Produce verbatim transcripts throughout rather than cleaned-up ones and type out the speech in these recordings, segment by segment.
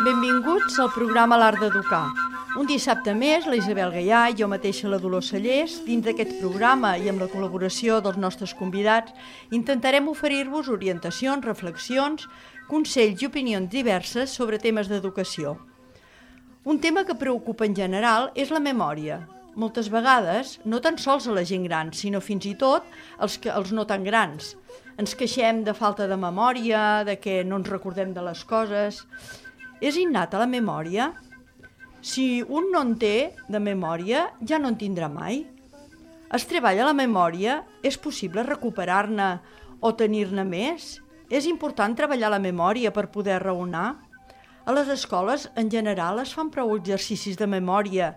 Benvinguts al programa L'Art d'Educar. Un dissabte més, la Isabel Gaià i jo mateixa, la Dolors Cellers, dins d'aquest programa i amb la col·laboració dels nostres convidats, intentarem oferir-vos orientacions, reflexions, consells i opinions diverses sobre temes d'educació. Un tema que preocupa en general és la memòria. Moltes vegades, no tan sols a la gent gran, sinó fins i tot als, que, als no tan grans. Ens queixem de falta de memòria, de que no ens recordem de les coses. És innata la memòria? Si un no en té de memòria, ja no en tindrà mai. Es treballa la memòria? És possible recuperar-ne o tenir-ne més? És important treballar la memòria per poder raonar? A les escoles, en general, es fan prou exercicis de memòria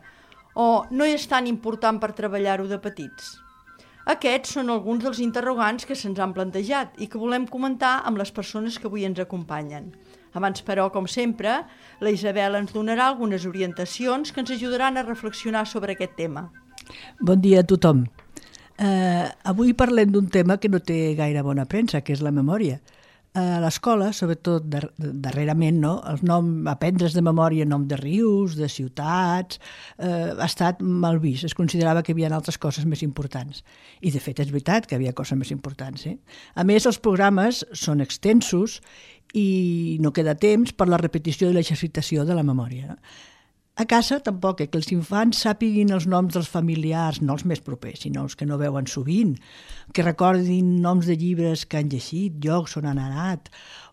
o no és tan important per treballar-ho de petits? Aquests són alguns dels interrogants que se'ns han plantejat i que volem comentar amb les persones que avui ens acompanyen. Abans, però, com sempre, la Isabel ens donarà algunes orientacions que ens ajudaran a reflexionar sobre aquest tema. Bon dia a tothom. Uh, avui parlem d'un tema que no té gaire bona premsa, que és la memòria. A l'escola, sobretot dar darrerament, no? El nom, aprendre's de memòria nom de rius, de ciutats, eh, ha estat mal vist. Es considerava que hi havia altres coses més importants. I, de fet, és veritat que hi havia coses més importants. Eh? A més, els programes són extensos i no queda temps per la repetició i l'exercitació de la memòria. No? A casa tampoc, eh, que els infants sàpiguin els noms dels familiars, no els més propers, sinó els que no veuen sovint, que recordin noms de llibres que han llegit, llocs on han anat,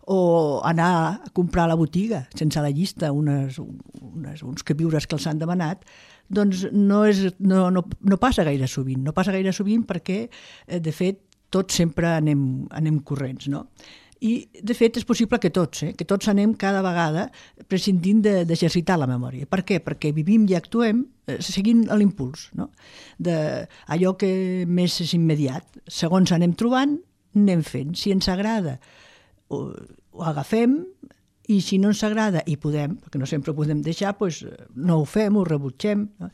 o anar a comprar a la botiga, sense la llista, unes, unes, uns queviures que els han demanat, doncs no, és, no, no, no passa gaire sovint. No passa gaire sovint perquè, eh, de fet, tots sempre anem, anem corrents, no? I, de fet, és possible que tots, eh? que tots anem cada vegada prescindint d'exercitar la memòria. Per què? Perquè vivim i actuem eh, seguint l'impuls, no? D'allò que més és immediat. Segons anem trobant, anem fent. Si ens agrada, ho, ho agafem, i si no ens agrada, i podem, perquè no sempre ho podem deixar, doncs no ho fem, ho rebutgem. No?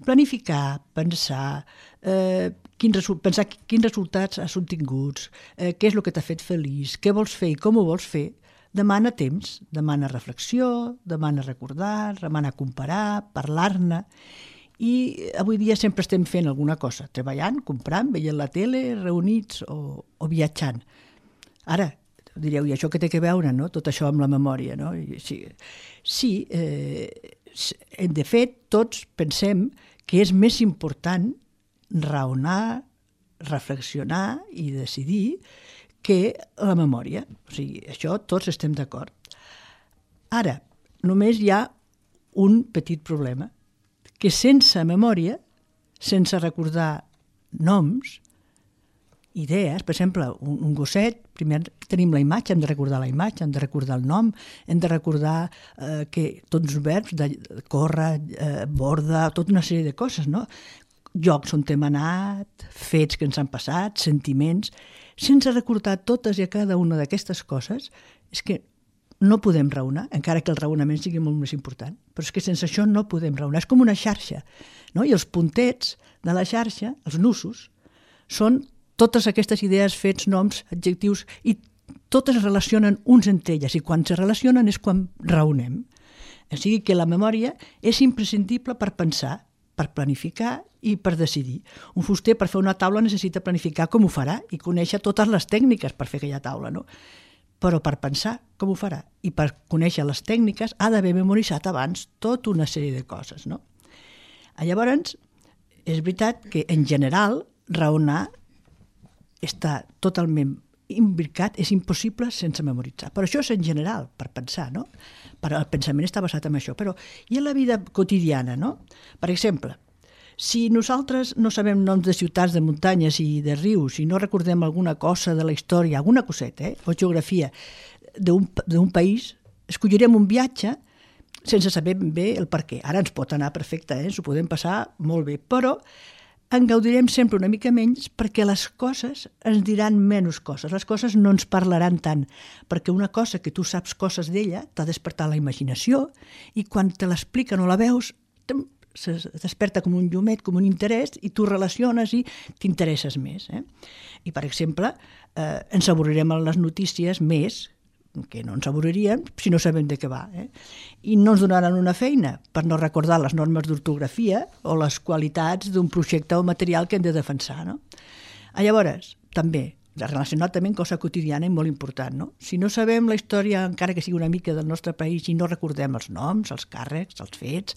Planificar, pensar, eh, quins, pensar quins resultats has obtinguts, eh, què és el que t'ha fet feliç, què vols fer i com ho vols fer, demana temps, demana reflexió, demana recordar, demana comparar, parlar-ne. I avui dia sempre estem fent alguna cosa, treballant, comprant, veient la tele, reunits o, o viatjant. Ara, direu, i això què té que veure, no? Tot això amb la memòria, no? I sí, sí eh, de fet, tots pensem que és més important raonar, reflexionar i decidir que la memòria. O sigui, això tots estem d'acord. Ara, només hi ha un petit problema, que sense memòria, sense recordar noms, idees, per exemple, un, un gosset, primer tenim la imatge, hem de recordar la imatge, hem de recordar el nom, hem de recordar eh, que tots els verbs, de córrer, eh, borda, tota una sèrie de coses, no? Llocs on hem anat, fets que ens han passat, sentiments. Sense recordar totes i a cada una d'aquestes coses, és que no podem raonar, encara que el raonament sigui molt més important. Però és que sense això no podem raonar. És com una xarxa, no? I els puntets de la xarxa, els nusos, són totes aquestes idees, fets, noms, adjectius, i totes es relacionen uns entre elles, i quan se relacionen és quan raonem. O sigui que la memòria és imprescindible per pensar, per planificar i per decidir. Un fuster per fer una taula necessita planificar com ho farà i conèixer totes les tècniques per fer aquella taula, no? Però per pensar com ho farà i per conèixer les tècniques ha d'haver memoritzat abans tota una sèrie de coses, no? Llavors, és veritat que en general raonar està totalment imbricat, és impossible sense memoritzar. Però això és en general, per pensar, no? Però el pensament està basat en això. Però i en la vida quotidiana, no? Per exemple, si nosaltres no sabem noms de ciutats, de muntanyes i de rius, i no recordem alguna cosa de la història, alguna coseta, eh? O geografia d'un país, escollirem un viatge sense saber ben bé el per què. Ara ens pot anar perfecte, eh? Ens ho podem passar molt bé, però en gaudirem sempre una mica menys perquè les coses ens diran menys coses. Les coses no ens parlaran tant, perquè una cosa que tu saps coses d'ella t'ha despertat la imaginació i quan te l'expliquen o la veus es desperta com un llumet, com un interès, i tu relaciones i t'interesses més. Eh? I, per exemple, eh, ens avorrirem en les notícies més, que no ens avorriríem si no sabem de què va. Eh? I no ens donaran una feina per no recordar les normes d'ortografia o les qualitats d'un projecte o material que hem de defensar. No? Llavors, també, relacionat també amb cosa quotidiana i molt important. No? Si no sabem la història, encara que sigui una mica del nostre país, i no recordem els noms, els càrrecs, els fets,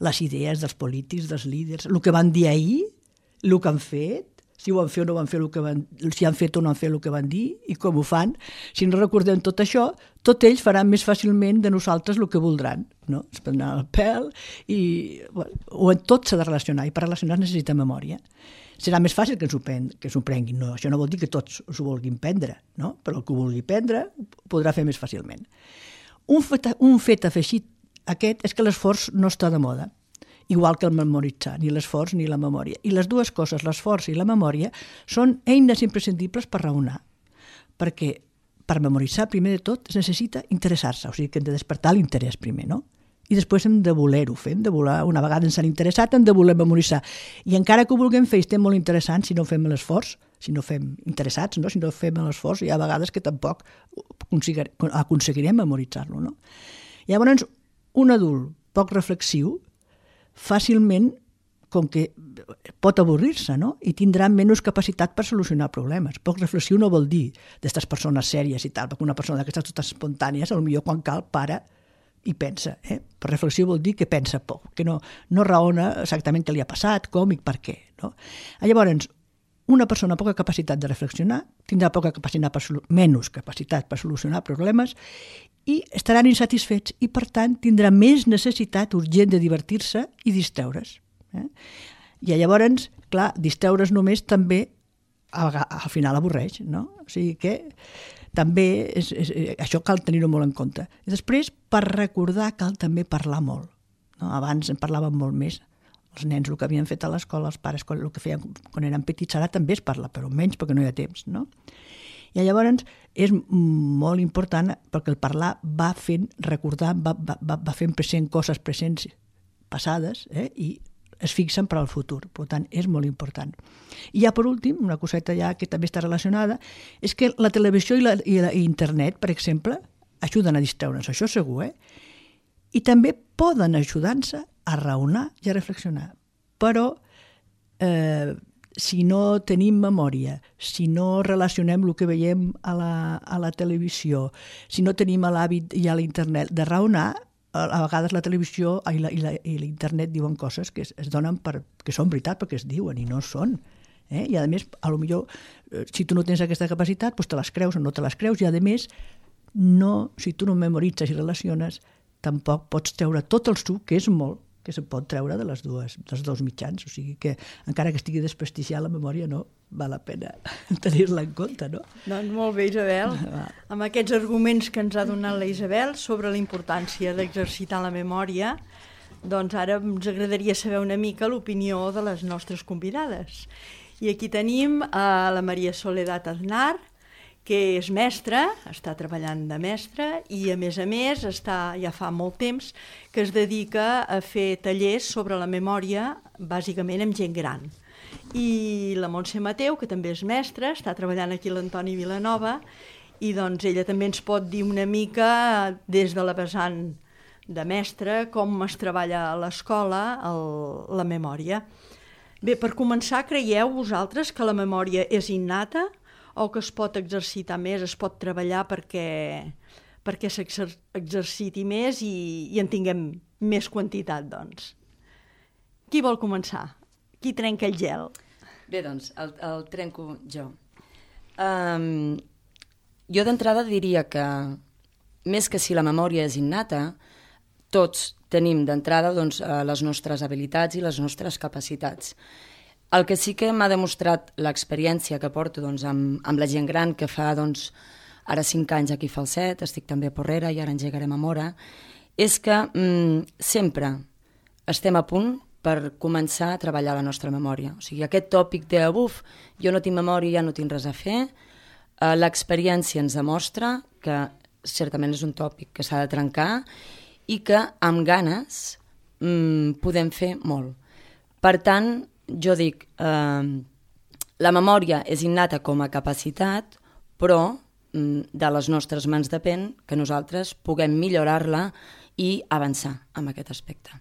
les idees dels polítics, dels líders, el que van dir ahir, el que han fet, si ho han fet o no van fer el que van, si han fet o no han fet el que van dir i com ho fan. Si no recordem tot això, tot ells faran més fàcilment de nosaltres el que voldran. No? Es prendran el pèl i... Bueno, o en tot s'ha de relacionar, i per relacionar necessita memòria. Serà més fàcil que ens ho, pen, que ens ho prenguin. No, això no vol dir que tots s'ho vulguin prendre, no? Però el que ho vulgui prendre ho podrà fer més fàcilment. Un fet, un fet afegit aquest és que l'esforç no està de moda, igual que el memoritzar, ni l'esforç ni la memòria. I les dues coses, l'esforç i la memòria, són eines imprescindibles per raonar. Perquè per memoritzar, primer de tot, es necessita interessar-se, o sigui que hem de despertar l'interès primer, no? I després hem de voler-ho fer, hem de voler, una vegada ens han interessat, hem de voler memoritzar. I encara que ho vulguem fer, estem molt interessants si no fem l'esforç, si no fem interessats, no? Si no fem l'esforç, hi ha vegades que tampoc aconseguirem memoritzar-lo. No? Llavors, un adult poc reflexiu, fàcilment, com que pot avorrir-se, no? I tindrà menys capacitat per solucionar problemes. Poc reflexiu no vol dir d'aquestes persones sèries i tal, perquè una persona d'aquestes totes espontànies, potser quan cal, para i pensa. Eh? Per reflexió vol dir que pensa poc, que no, no raona exactament què li ha passat, com i per què. No? Llavors, una persona amb poca capacitat de reflexionar tindrà poca capacitat per, menys capacitat per solucionar problemes i estaran insatisfets i, per tant, tindrà més necessitat urgent de divertir-se i distreure's. Eh? I llavors, clar, distreure's només també al, al final avorreix, no? O sigui que també és, és, això cal tenir-ho molt en compte. I després, per recordar, cal també parlar molt. No? Abans en parlàvem molt més. Els nens el que havien fet a l'escola, els pares el que feien quan eren petits, ara també es parla, però menys perquè no hi ha temps. No? I llavors és molt important perquè el parlar va fent recordar, va, va, va fent present coses presents passades, eh? I es fixen per al futur. Per tant, és molt important. I ja per últim, una coseta ja que també està relacionada, és que la televisió i, la, i, la, i internet, per exemple, ajuden a distreure'ns, això segur, eh? I també poden ajudar-nos a raonar i a reflexionar. Però eh, si no tenim memòria, si no relacionem el que veiem a la, a la televisió, si no tenim l'hàbit i a l'internet de raonar, a vegades la televisió i, la, i, la, i l'internet diuen coses que es, es donen per, que són veritat perquè es diuen i no són. Eh? I a més, a lo millor, si tu no tens aquesta capacitat, doncs te les creus o no te les creus, i a més, no, si tu no memoritzes i relaciones, tampoc pots treure tot el suc, que és molt, que se pot treure de les dues, dels dos mitjans. O sigui que, encara que estigui desprestigiada la memòria, no val la pena tenir-la en compte, no? Doncs molt bé, Isabel. Amb aquests arguments que ens ha donat la Isabel sobre la importància d'exercitar la memòria, doncs ara ens agradaria saber una mica l'opinió de les nostres convidades. I aquí tenim a la Maria Soledad Aznar, que és mestra, està treballant de mestra i, a més a més, està, ja fa molt temps que es dedica a fer tallers sobre la memòria, bàsicament amb gent gran. I la Montse Mateu, que també és mestra, està treballant aquí a l'Antoni Vilanova, i doncs ella també ens pot dir una mica, des de la vessant de mestra, com es treballa a l'escola la memòria. Bé, per començar, creieu vosaltres que la memòria és innata o que es pot exercitar més, es pot treballar perquè, perquè s'exerciti més i, i en tinguem més quantitat, doncs? Qui vol començar? Qui trenca el gel? Bé, doncs, el, el trenco jo. Um, jo d'entrada diria que, més que si la memòria és innata, tots tenim d'entrada doncs, les nostres habilitats i les nostres capacitats. El que sí que m'ha demostrat l'experiència que porto doncs, amb, amb la gent gran, que fa doncs, ara cinc anys aquí a Falset, estic també a Porrera i ara engegarem a Móra, és que mm, sempre estem a punt per començar a treballar la nostra memòria. O sigui, aquest tòpic de buf, jo no tinc memòria, ja no tinc res a fer, eh, l'experiència ens demostra que certament és un tòpic que s'ha de trencar i que amb ganes mm, podem fer molt. Per tant, jo dic, eh, la memòria és innata com a capacitat, però mm, de les nostres mans depèn que nosaltres puguem millorar-la i avançar en aquest aspecte.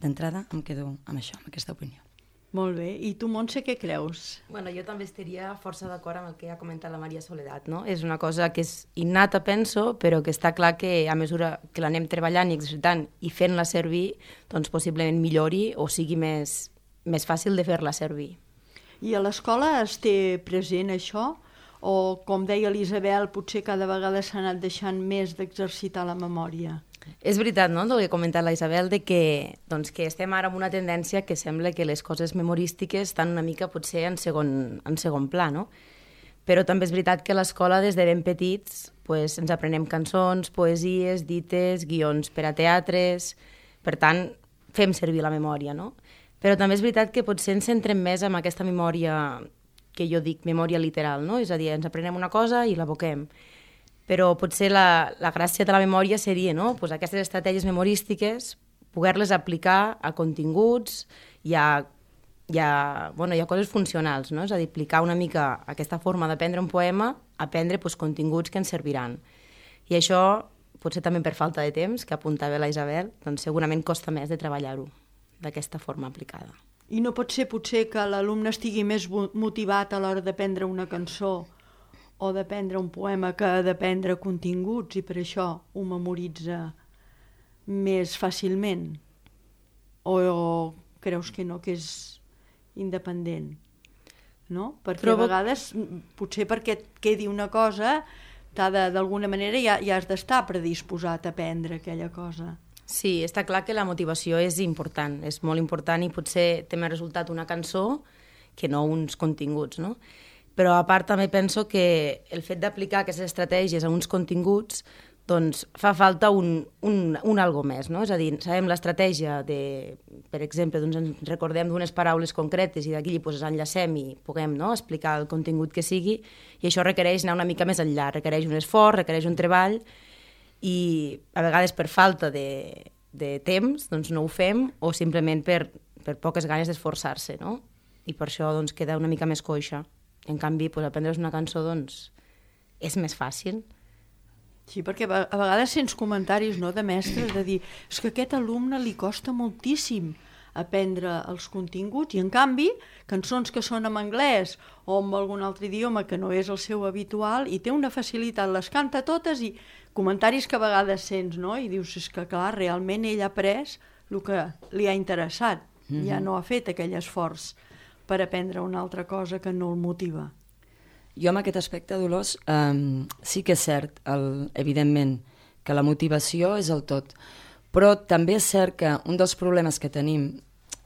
D'entrada em quedo amb això, amb aquesta opinió. Molt bé. I tu, Montse, què creus? Bueno, jo també estaria força d'acord amb el que ha comentat la Maria Soledad, no? És una cosa que és innata, penso, però que està clar que a mesura que l'anem treballant i exercitant i fent-la servir, doncs possiblement millori o sigui més, més fàcil de fer-la servir. I a l'escola es té present això? O, com deia l'Isabel, potser cada vegada s'ha anat deixant més d'exercitar la memòria? És veritat, no?, el que ha comentat la Isabel, de que, doncs, que estem ara amb una tendència que sembla que les coses memorístiques estan una mica potser en segon, en segon pla, no? Però també és veritat que a l'escola, des de ben petits, pues, ens aprenem cançons, poesies, dites, guions per a teatres. Per tant, fem servir la memòria, no? Però també és veritat que potser ens centrem més en aquesta memòria que jo dic memòria literal, no? És a dir, ens aprenem una cosa i l'aboquem. Però potser la, la gràcia de la memòria seria, no?, pues aquestes estratègies memorístiques, poder-les aplicar a continguts i a, i a, bueno, i a coses funcionals, no? És a dir, aplicar una mica aquesta forma d'aprendre un poema, aprendre pues, continguts que ens serviran. I això, potser també per falta de temps, que apuntava la Isabel, doncs segurament costa més de treballar-ho d'aquesta forma aplicada. I no pot ser potser que l'alumne estigui més motivat a l'hora d'aprendre una cançó o d'aprendre un poema que d'aprendre continguts i per això ho memoritza més fàcilment? O, o creus que no, que és independent? No? Perquè Trobo... a vegades, potser perquè et quedi una cosa, d'alguna manera ja, ja has d'estar predisposat a aprendre aquella cosa. Sí, està clar que la motivació és important, és molt important i potser té més resultat una cançó que no uns continguts, no? Però a part també penso que el fet d'aplicar aquestes estratègies a uns continguts doncs fa falta un, un, un algo més, no? És a dir, sabem l'estratègia de, per exemple, doncs ens recordem d'unes paraules concretes i d'aquí doncs, enllacem i puguem, no?, explicar el contingut que sigui, i això requereix anar una mica més enllà, requereix un esforç, requereix un treball, i a vegades per falta de, de temps doncs no ho fem, o simplement per, per poques ganes d'esforçar-se, no? I per això doncs, queda una mica més coixa. En canvi, pues, aprendre's una cançó doncs, és més fàcil. Sí, perquè a vegades sents comentaris, no, de mestres de dir és que a aquest alumne li costa moltíssim aprendre els continguts i en canvi cançons que són en anglès o en algun altre idioma que no és el seu habitual i té una facilitat, les canta totes i comentaris que a vegades sents, no? I dius, és que clar, realment ell ha après el que li ha interessat, mm-hmm. ja no ha fet aquell esforç per aprendre una altra cosa que no el motiva. Jo en aquest aspecte, Dolors, eh, sí que és cert, el, evidentment, que la motivació és el tot, però també és cert que un dels problemes que tenim,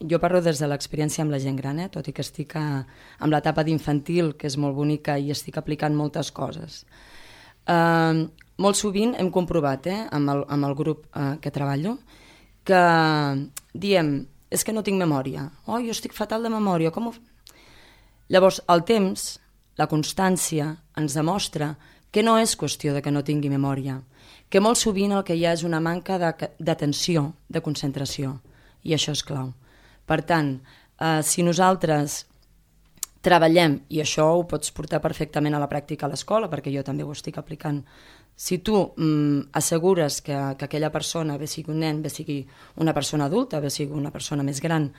jo parlo des de l'experiència amb la gent gran, eh, tot i que estic a, amb l'etapa d'infantil, que és molt bonica i estic aplicant moltes coses. Eh, molt sovint hem comprovat, eh, amb, el, amb el grup eh, que treballo, que diem, és que no tinc memòria, oh, jo estic fatal de memòria, com ho... Llavors, el temps, la constància, ens demostra que no és qüestió de que no tingui memòria, que molt sovint el que hi ha és una manca d'atenció, de concentració, i això és clau. Per tant, eh, si nosaltres treballem, i això ho pots portar perfectament a la pràctica a l'escola, perquè jo també ho estic aplicant, si tu mm, assegures que, que aquella persona, bé sigui un nen, bé sigui una persona adulta, bé sigui una persona més gran,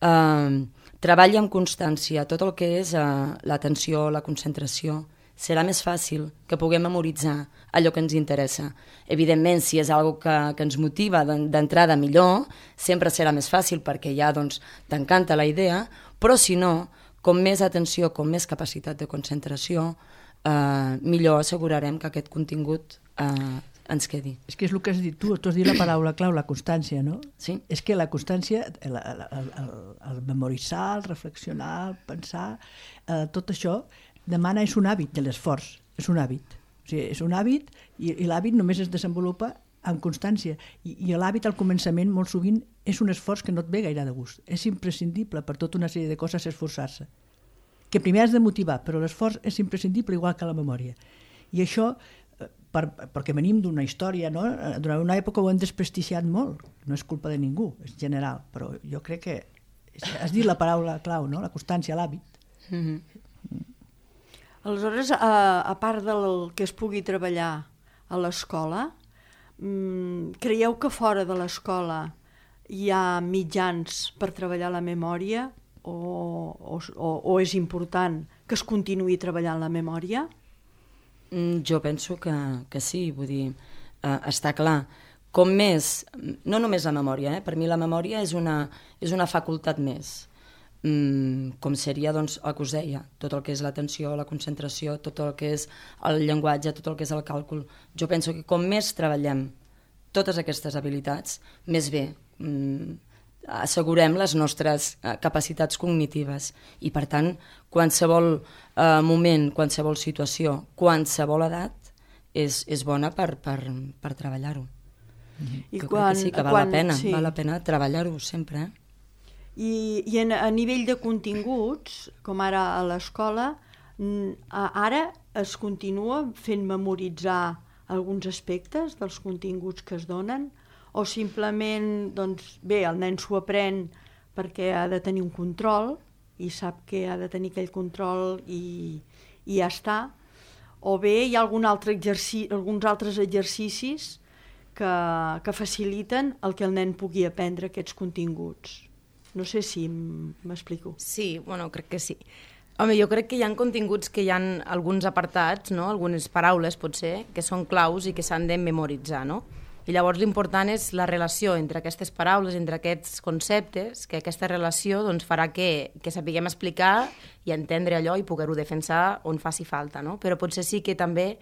eh, treballa amb constància tot el que és eh, l'atenció, la concentració, serà més fàcil que puguem memoritzar allò que ens interessa. Evidentment, si és una cosa que, que ens motiva d'entrada millor, sempre serà més fàcil perquè ja doncs, t'encanta la idea, però si no, com més atenció, com més capacitat de concentració, eh, millor assegurarem que aquest contingut eh, ens quedi. És que és el que has dit tu, tu has dit la paraula clau, la constància, no? Sí. És que la constància, el, el, el, el memoritzar, el reflexionar, el pensar, eh, tot això demana, és un hàbit de l'esforç, és un hàbit. O sigui, és un hàbit i, i l'hàbit només es desenvolupa amb constància. I, i l'hàbit al començament molt sovint és un esforç que no et ve gaire de gust. És imprescindible per tota una sèrie de coses esforçar-se. Que primer has de motivar, però l'esforç és imprescindible igual que la memòria. I això per, perquè venim d'una història, no? Durant una època ho hem desprestigiat molt, no és culpa de ningú, és general, però jo crec que has dit la paraula clau, no? La constància, l'hàbit. Mm-hmm. Aleshores, a, a part del que es pugui treballar a l'escola, mmm, creieu que fora de l'escola hi ha mitjans per treballar la memòria o, o, o és important que es continuï treballant la memòria? Mm, jo penso que, que sí, vull dir, eh, està clar. Com més, no només la memòria, eh? Per mi la memòria és una, és una facultat més, mm, com seria doncs, el que us deia, tot el que és l'atenció, la concentració, tot el que és el llenguatge, tot el que és el càlcul. Jo penso que com més treballem totes aquestes habilitats, més bé mm, assegurem les nostres eh, capacitats cognitives i, per tant, qualsevol eh, moment, qualsevol situació, qualsevol edat és, és bona per, per, per treballar-ho. I jo quan, crec que sí, que val quan, la pena, sí. val la pena treballar-ho sempre. Eh? I, i en, a nivell de continguts, com ara a l'escola, ara es continua fent memoritzar alguns aspectes dels continguts que es donen, o simplement, doncs, bé, el nen s'ho aprèn perquè ha de tenir un control i sap que ha de tenir aquell control i, i ja està, o bé hi ha algun altre exercici, alguns altres exercicis que, que faciliten el que el nen pugui aprendre aquests continguts. No sé si m'explico. Sí, bueno, crec que sí. Home, jo crec que hi ha continguts que hi ha alguns apartats, no? Algunes paraules, potser, que són claus i que s'han de memoritzar, no? I llavors l'important és la relació entre aquestes paraules, entre aquests conceptes, que aquesta relació doncs, farà que, que sapiguem explicar i entendre allò i poder-ho defensar on faci falta, no? Però potser sí que també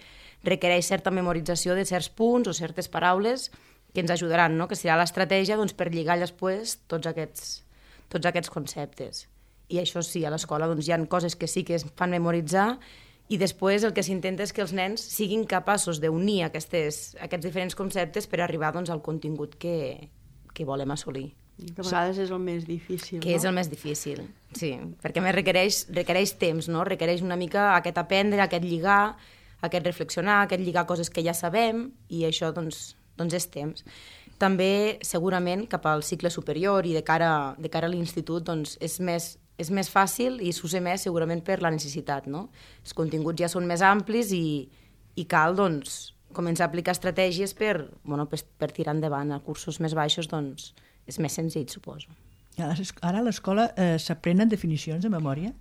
requereix certa memorització de certs punts o certes paraules que ens ajudaran, no? Que serà l'estratègia doncs, per lligar després tots aquests, tots aquests conceptes. I això sí, a l'escola doncs, hi ha coses que sí que es fan memoritzar i després el que s'intenta és que els nens siguin capaços d'unir aquestes, aquests diferents conceptes per arribar doncs, al contingut que, que volem assolir. I que a vegades és el més difícil, que no? És el més difícil, sí, perquè més requereix, requereix temps, no? Requereix una mica aquest aprendre, aquest lligar, aquest reflexionar, aquest lligar coses que ja sabem, i això doncs, doncs és temps. També, segurament, cap al cicle superior i de cara, de cara a l'institut, doncs, és més és més fàcil i s'usa més segurament per la necessitat, no? Els continguts ja són més amplis i, i cal, doncs, començar a aplicar estratègies per, bueno, per, per tirar endavant. A cursos més baixos, doncs, és més senzill, suposo. Ara a l'escola eh, s'aprenen definicions de memòria?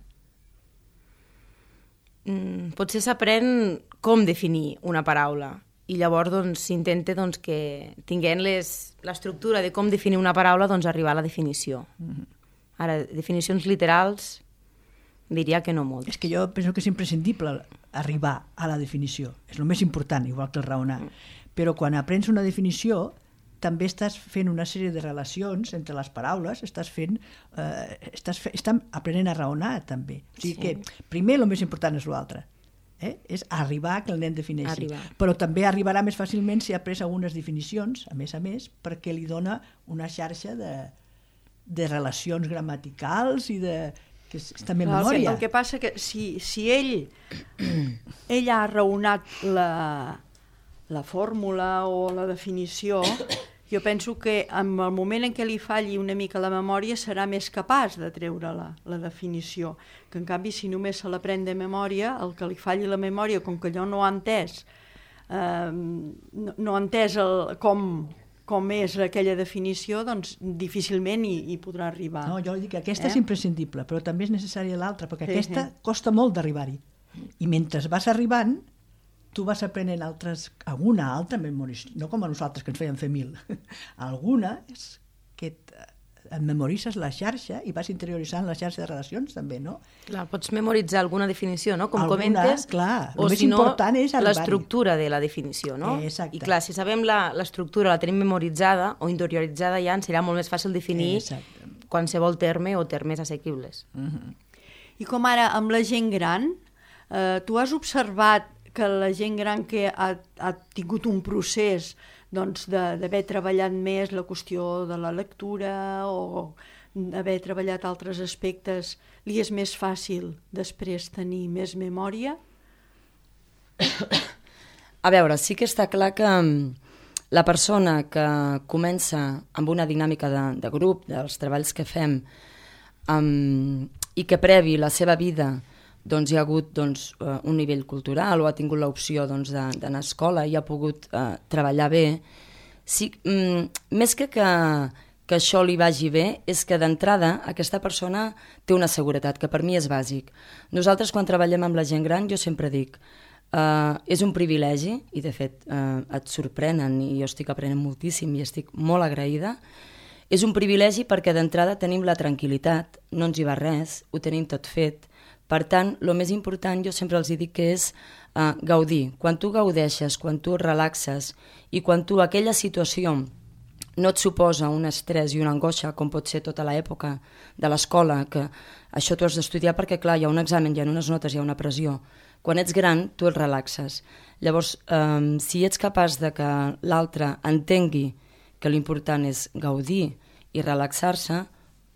Mm, potser s'aprèn com definir una paraula i llavors doncs, s'intenta doncs, que tinguent l'estructura de com definir una paraula, doncs, arribar a la definició. Mm-hmm. Ara, definicions literals, diria que no molt. És que jo penso que és imprescindible arribar a la definició. És el més important, igual que el raonar. Mm. Però quan aprens una definició, també estàs fent una sèrie de relacions entre les paraules, estàs fent, eh, estàs, fe, estàs aprenent a raonar, també. O sigui sí. que primer el més important és l'altre. Eh? És arribar a que el nen defineixi. Arribar. Però també arribarà més fàcilment si ha pres algunes definicions, a més a més, perquè li dona una xarxa de de relacions gramaticals i de... que és també Clar, memòria. El que passa que si, si ell ell ha raonat la, la fórmula o la definició, jo penso que en el moment en què li falli una mica la memòria serà més capaç de treure la, la definició, que en canvi si només se l'aprèn de memòria, el que li falli la memòria, com que allò no ha entès, eh, no, no ha entès el, com... com és aquella definició, doncs difícilment hi, hi podrà arribar. No, jo dic que aquesta eh? és imprescindible, però també és necessària l'altra, perquè sí, aquesta sí. costa molt d'arribar-hi. I mentre vas arribant, tu vas aprenent altres, alguna altra memòria, no com a nosaltres que ens feien fer mil, alguna és que et memoritzes la xarxa i vas interioritzant la xarxa de relacions també, no? Clar, pots memoritzar alguna definició, no? Com alguna, comentes, clar, o si no, l'estructura de la definició, no? Exacte. I clar, si sabem l'estructura, la tenim memoritzada o interioritzada ja, ens serà molt més fàcil definir Exacte. qualsevol terme o termes assequibles. Uh-huh. I com ara amb la gent gran, eh, tu has observat que la gent gran que ha, ha tingut un procés doncs, d'haver treballat més la qüestió de la lectura o d'haver treballat altres aspectes, li és més fàcil després tenir més memòria? A veure, sí que està clar que la persona que comença amb una dinàmica de, de grup, dels treballs que fem, um, i que previ la seva vida doncs, hi ha hagut doncs, un nivell cultural o ha tingut l'opció doncs, d'anar a escola i ha pogut uh, treballar bé, sí, um, més que, que que això li vagi bé, és que d'entrada aquesta persona té una seguretat, que per mi és bàsic. Nosaltres quan treballem amb la gent gran, jo sempre dic, uh, és un privilegi, i de fet uh, et sorprenen, i jo estic aprenent moltíssim i estic molt agraïda, és un privilegi perquè d'entrada tenim la tranquil·litat, no ens hi va res, ho tenim tot fet. Per tant, el més important jo sempre els dic que és uh, gaudir. Quan tu gaudeixes, quan tu relaxes i quan tu aquella situació no et suposa un estrès i una angoixa, com pot ser tota l'època de l'escola, que això tu has d'estudiar perquè, clar, hi ha un examen, hi ha unes notes, hi ha una pressió. Quan ets gran, tu et relaxes. Llavors, eh, si ets capaç de que l'altre entengui que l'important és gaudir i relaxar-se,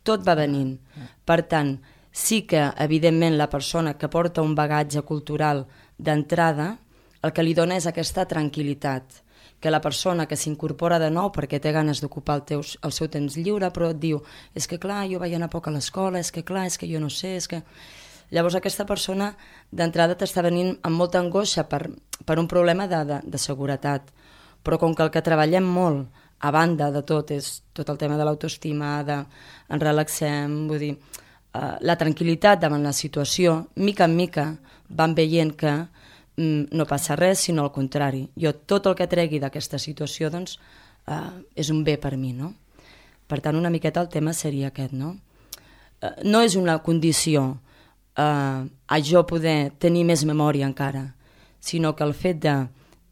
tot va venint. Per tant, sí que, evidentment, la persona que porta un bagatge cultural d'entrada, el que li dona és aquesta tranquil·litat, que la persona que s'incorpora de nou perquè té ganes d'ocupar el, teus, el seu temps lliure, però et diu, és que clar, jo vaig anar poc a l'escola, és que clar, és que jo no sé, és que... Llavors aquesta persona d'entrada t'està venint amb molta angoixa per, per un problema de, de, de seguretat. Però com que el que treballem molt, a banda de tot, és tot el tema de l'autoestima, de ens relaxem, vull dir, eh, la tranquil·litat davant la situació, mica en mica van veient que no passa res, sinó al contrari. Jo tot el que tregui d'aquesta situació doncs, eh, és un bé per mi, no? Per tant, una miqueta el tema seria aquest, no? Eh, no és una condició eh, a jo poder tenir més memòria encara, sinó que el fet de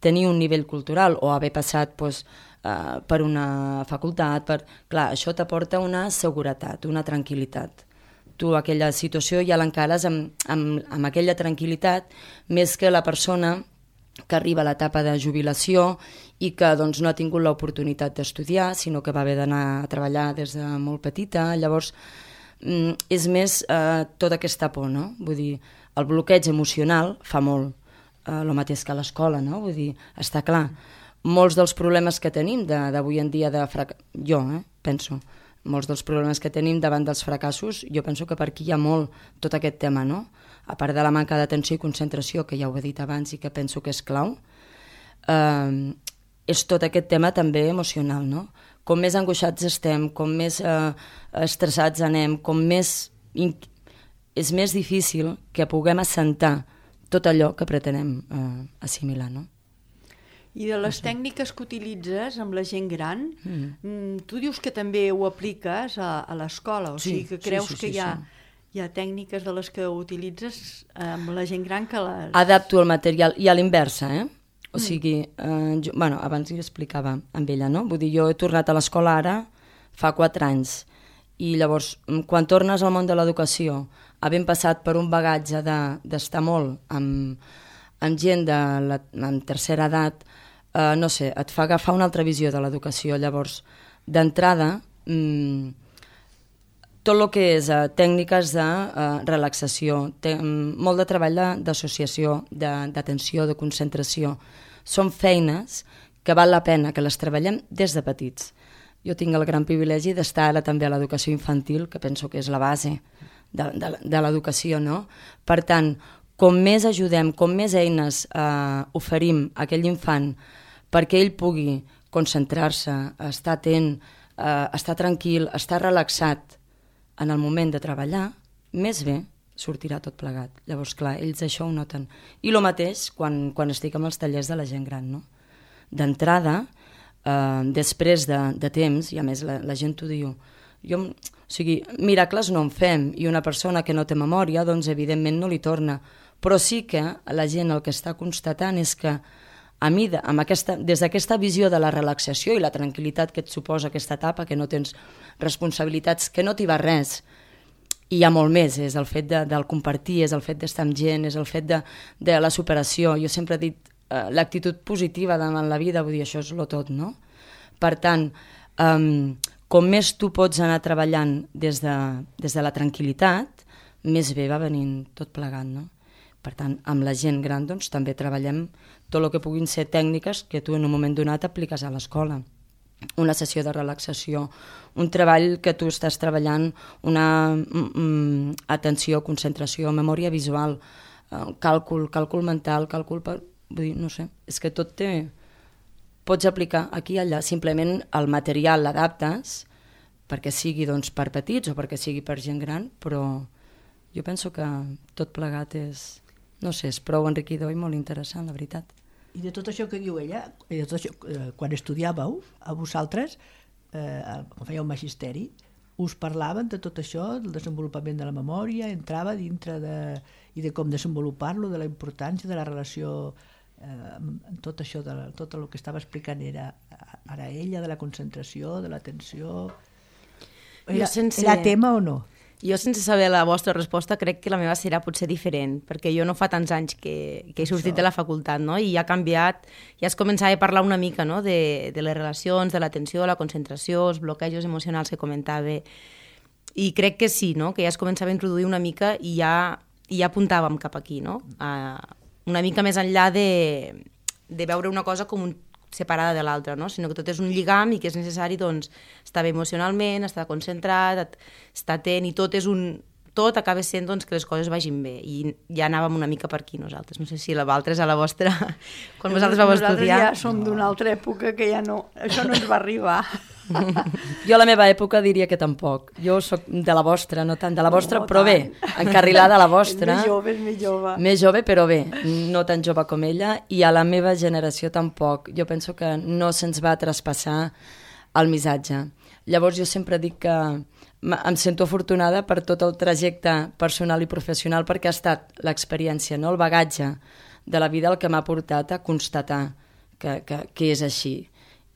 tenir un nivell cultural o haver passat doncs, eh, per una facultat, per... clar, això t'aporta una seguretat, una tranquil·litat. Tu aquella situació ja l'encares amb, amb, amb aquella tranquil·litat, més que la persona que arriba a l'etapa de jubilació i que doncs, no ha tingut l'oportunitat d'estudiar, sinó que va haver d'anar a treballar des de molt petita. Llavors, mm, és més eh, tota aquesta por, no? Vull dir, el bloqueig emocional fa molt, eh, el mateix que a l'escola, no? Vull dir, està clar. Molts dels problemes que tenim d'avui en dia, de frac... jo eh, penso, molts dels problemes que tenim davant dels fracassos, jo penso que per aquí hi ha molt tot aquest tema, no? A part de la manca d'atenció i concentració, que ja ho he dit abans i que penso que és clau, eh, és tot aquest tema també emocional, no? Com més angoixats estem, com més eh, estressats anem, com més... és més difícil que puguem assentar tot allò que pretenem eh, assimilar, no? I de les tècniques que utilitzes amb la gent gran, mm. tu dius que també ho apliques a, a l'escola, o sí, sigui que creus sí, sí, sí, que hi ha, sí. hi ha tècniques de les que utilitzes amb la gent gran que les... Adapto el material, i a l'inversa, eh? O mm. sigui, eh, jo, bueno, abans hi explicava amb ella, no? Vull dir, jo he tornat a l'escola ara fa quatre anys, i llavors, quan tornes al món de l'educació, havent passat per un bagatge d'estar de, molt amb, amb gent de la amb tercera edat, Uh, no sé, et fa agafar una altra visió de l'educació. Llavors, d'entrada, mmm, tot el que és uh, tècniques de uh, relaxació, te, um, molt de treball d'associació, d'atenció, de, de concentració, són feines que val la pena que les treballem des de petits. Jo tinc el gran privilegi d'estar ara també a l'educació infantil, que penso que és la base de, de, de l'educació, no? Per tant, com més ajudem, com més eines eh, oferim a aquell infant perquè ell pugui concentrar-se, estar atent, eh, estar tranquil, estar relaxat en el moment de treballar, més bé sortirà tot plegat. Llavors, clar, ells això ho noten. I el mateix quan, quan estic amb els tallers de la gent gran, no? D'entrada, eh, després de, de temps, i a més la, la gent t'ho diu, jo, o sigui, miracles no en fem, i una persona que no té memòria, doncs evidentment no li torna, però sí que la gent el que està constatant és que a mi, amb aquesta, des d'aquesta visió de la relaxació i la tranquil·litat que et suposa aquesta etapa, que no tens responsabilitats, que no t'hi va res, i hi ha molt més, és el fet de, del compartir, és el fet d'estar amb gent, és el fet de, de la superació. Jo sempre he dit eh, l'actitud positiva davant la vida, vull dir, això és lo tot, no? Per tant, um, com més tu pots anar treballant des de, des de la tranquil·litat, més bé va venint tot plegat, no? Per tant, amb la gent gran doncs, també treballem tot el que puguin ser tècniques que tu en un moment donat apliques a l'escola. Una sessió de relaxació, un treball que tu estàs treballant, una mm, atenció, concentració, memòria visual, eh, càlcul, càlcul mental, càlcul... Per... Vull dir, no sé, és que tot té... Pots aplicar aquí i allà, simplement el material l'adaptes perquè sigui doncs, per petits o perquè sigui per gent gran, però jo penso que tot plegat és, no sé, és prou enriquidor i molt interessant, la veritat. I de tot això que diu ella, i de tot això, eh, quan estudiàveu, a vosaltres, eh, quan fèieu magisteri, us parlaven de tot això, del desenvolupament de la memòria, entrava dintre de, i de com desenvolupar-lo, de la importància de la relació, eh, tot això, de la, tot el que estava explicant era ara ella, de la concentració, de l'atenció... Era, sense... era tema o no? Jo, sense saber la vostra resposta, crec que la meva serà potser diferent, perquè jo no fa tants anys que, que he sortit Això. de la facultat, no? I ha canviat, ja es començava a parlar una mica, no? de, de les relacions, de l'atenció, la concentració, els bloquejos emocionals que comentava, i crec que sí, no? Que ja es començava a introduir una mica i ja, i ja apuntàvem cap aquí, no? A, una mica més enllà de, de veure una cosa com un separada de l'altra, no? Sinó que tot és un lligam i que és necessari doncs, estar bé emocionalment, estar concentrat, estar atent, i tot és un... tot acaba sent doncs, que les coses vagin bé, i ja anàvem una mica per aquí nosaltres. No sé si la Valtres a la vostra... Quan vosaltres vau estudiar... Nosaltres ja som d'una altra època que ja no... Això no ens va arribar. Jo a la meva època diria que tampoc. Jo sóc de la vostra, no tant de la vostra, no, però tant. Bé, encarrilada a la vostra. És més jove, és més jove. Més jove, però bé, no tan jove com ella, i a la meva generació tampoc. Jo penso que no se'ns va traspassar el missatge. Llavors jo sempre dic que em sento afortunada per tot el trajecte personal i professional, perquè ha estat l'experiència, no? El bagatge de la vida el que m'ha portat a constatar que, que, que és així.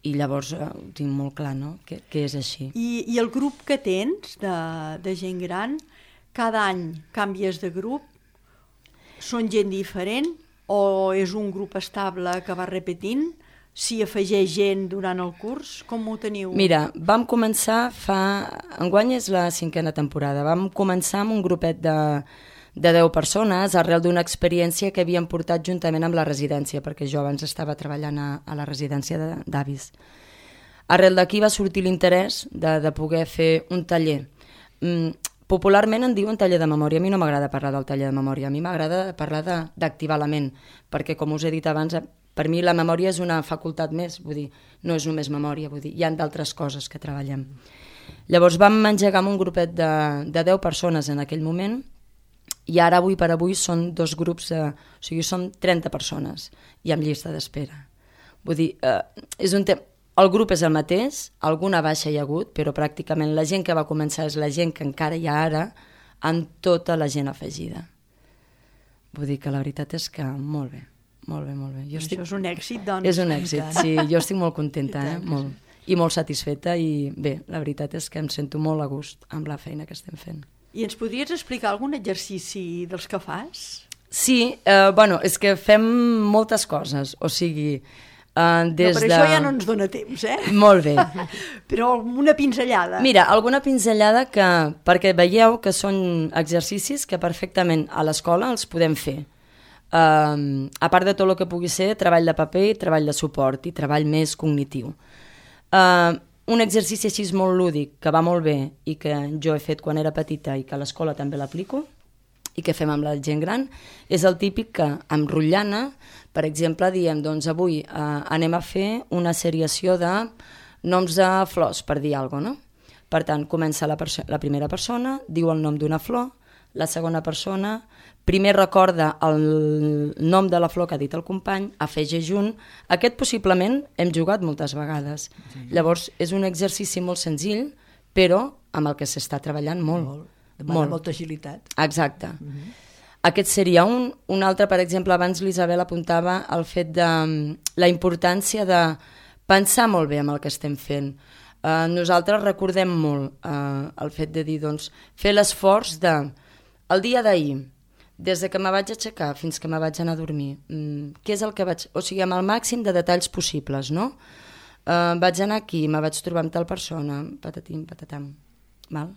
I llavors eh, ho tinc molt clar, no?, que, que és així. I, I el grup que tens de, de gent gran, cada any canvies de grup? Són gent diferent o és un grup estable que va repetint? Si afegeix gent durant el curs, com ho teniu? Mira, vam començar fa... Enguany és la cinquena temporada. Vam començar amb un grupet de, de deu persones arrel d'una experiència que havíem portat juntament amb la residència, perquè jo abans estava treballant a, a la residència d'avis. Arrel d'aquí va sortir l'interès de, de poder fer un taller. Mm, popularment en diuen taller de memòria. A mi no m'agrada parlar del taller de memòria, a mi m'agrada parlar d'activar la ment, perquè, com us he dit abans, per mi la memòria és una facultat més, vull dir, no és només memòria, vull dir, hi ha d'altres coses que treballem. Llavors vam engegar amb un grupet de, de deu persones en aquell moment, i ara, avui per avui, són dos grups, de, o sigui, són trenta persones, i amb llista d'espera. Vull dir, eh, és un tema... El grup és el mateix, alguna baixa hi ha hagut, però pràcticament la gent que va començar és la gent que encara hi ha ara, amb tota la gent afegida. Vull dir que la veritat és que molt bé, molt bé, molt bé. Jo Això estic... és un èxit, doncs. És un èxit, sí, jo estic molt contenta, eh? Molt. I molt satisfeta, i bé, la veritat és que em sento molt a gust amb la feina que estem fent. I ens podries explicar algun exercici dels que fas? Sí, eh, bueno, és que fem moltes coses, o sigui... Uh, des no, però de... això ja no ens dona temps, eh? Molt bé. Però una pinzellada. Mira, alguna pinzellada que, perquè veieu que són exercicis que perfectament a l'escola els podem fer. Uh, a part de tot el que pugui ser treball de paper, treball de suport i treball més cognitiu. Uh, un exercici així molt lúdic, que va molt bé i que jo he fet quan era petita i que a l'escola també l'aplico, i que fem amb la gent gran, és el típic que amb rotllana, per exemple, diem, doncs avui eh, anem a fer una seriació de noms de flors, per dir alguna cosa, no? Per tant, comença la, la primera persona, diu el nom d'una flor, la segona persona, primer recorda el nom de la flor que ha dit el company, afegeix un. Aquest possiblement hem jugat moltes vegades. Sí. Llavors, és un exercici molt senzill, però amb el que s'està treballant molt. Molt. Demana molt. Molta agilitat. Exacte. Uh-huh. Aquest seria un. Un altre, per exemple, abans l'Isabel apuntava el fet de la importància de pensar molt bé amb el que estem fent. Uh, nosaltres recordem molt uh, el fet de dir, doncs, fer l'esforç de el dia d'ahir, des de que me vaig aixecar fins que me vaig anar a dormir, um, què és el que vaig... O sigui, amb el màxim de detalls possibles, no? Uh, vaig anar aquí, me vaig trobar amb tal persona, patatim, patatam, val?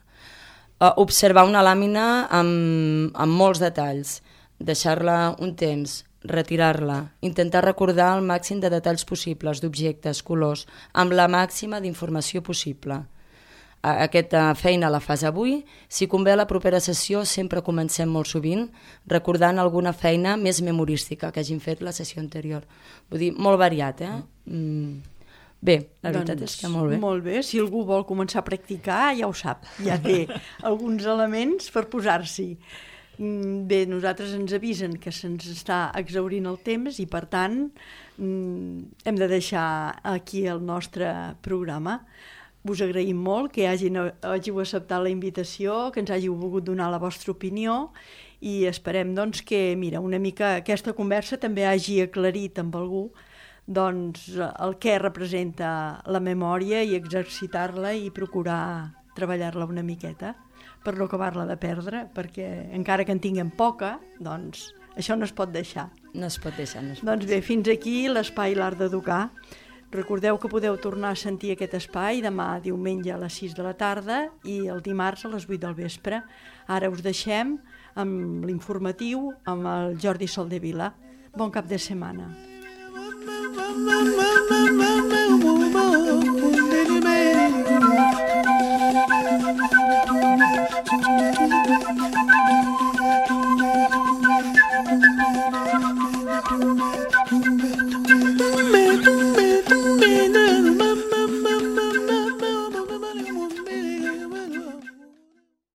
Uh, observar una làmina amb, amb molts detalls. deixar-la un temps, retirar-la, intentar recordar el màxim de detalls possibles, d'objectes, colors, amb la màxima d'informació possible. Aquesta feina la fas avui. Si convé, a la propera sessió sempre comencem molt sovint recordant alguna feina més memorística que hagin fet la sessió anterior. Vull dir, molt variat, eh? Mm. Bé, la veritat doncs, és que molt bé. Molt bé, si algú vol començar a practicar, ja ho sap, ja té alguns elements per posar-s'hi. Bé, nosaltres ens avisen que se'ns està exhaurint el temps i, per tant, hem de deixar aquí el nostre programa. Us agraïm molt que hagin, hàgiu acceptat la invitació, que ens hàgiu volgut donar la vostra opinió i esperem doncs, que mira, una mica aquesta conversa també hagi aclarit amb algú doncs, el que representa la memòria i exercitar-la i procurar treballar-la una miqueta per no acabar-la de perdre, perquè encara que en tinguem poca, doncs això no es pot deixar. No es pot deixar. No es pot doncs bé, fins aquí l'espai L'Art d'Educar. Recordeu que podeu tornar a sentir aquest espai demà diumenge a les sis de la tarda i el dimarts a les vuit del vespre. Ara us deixem amb l'informatiu amb el Jordi Soldevila. Bon cap de setmana. Thank you.